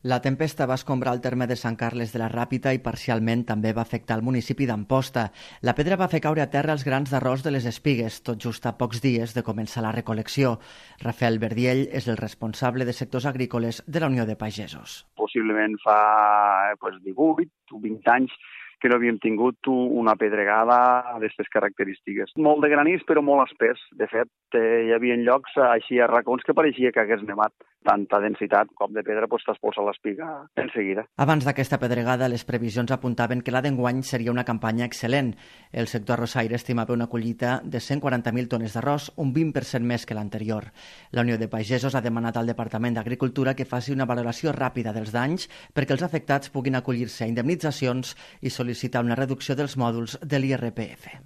La tempesta va escombrar el terme de Sant Carles de la Ràpita i parcialment també va afectar el municipi d'Amposta. La pedra va fer caure a terra els grans d'arròs de les espigues, tot just a pocs dies de començar la recol·lecció. Rafael Verdiell és el responsable de sectors agrícoles de la Unió de Pagesos. Possiblement fa 18 o 20 anys que no havíem tingut una pedregada d'aquestes característiques. Molt de granís, però molt espès. De fet, hi havia llocs així a racons que pareixia que hagués nevat. Tanta densitat com de pedra t'expulsa l'espiga en seguida. Abans d'aquesta pedregada, les previsions apuntaven que la d'enguany seria una campanya excel·lent. El sector arrossaire estimava una collita de 140.000 tones d'arròs, un 20% més que l'anterior. La Unió de Pagesos ha demanat al Departament d'Agricultura que faci una valoració ràpida dels danys perquè els afectats puguin acollir-se a indemnitzacions i sol·licitar una reducció dels mòduls de l'IRPF.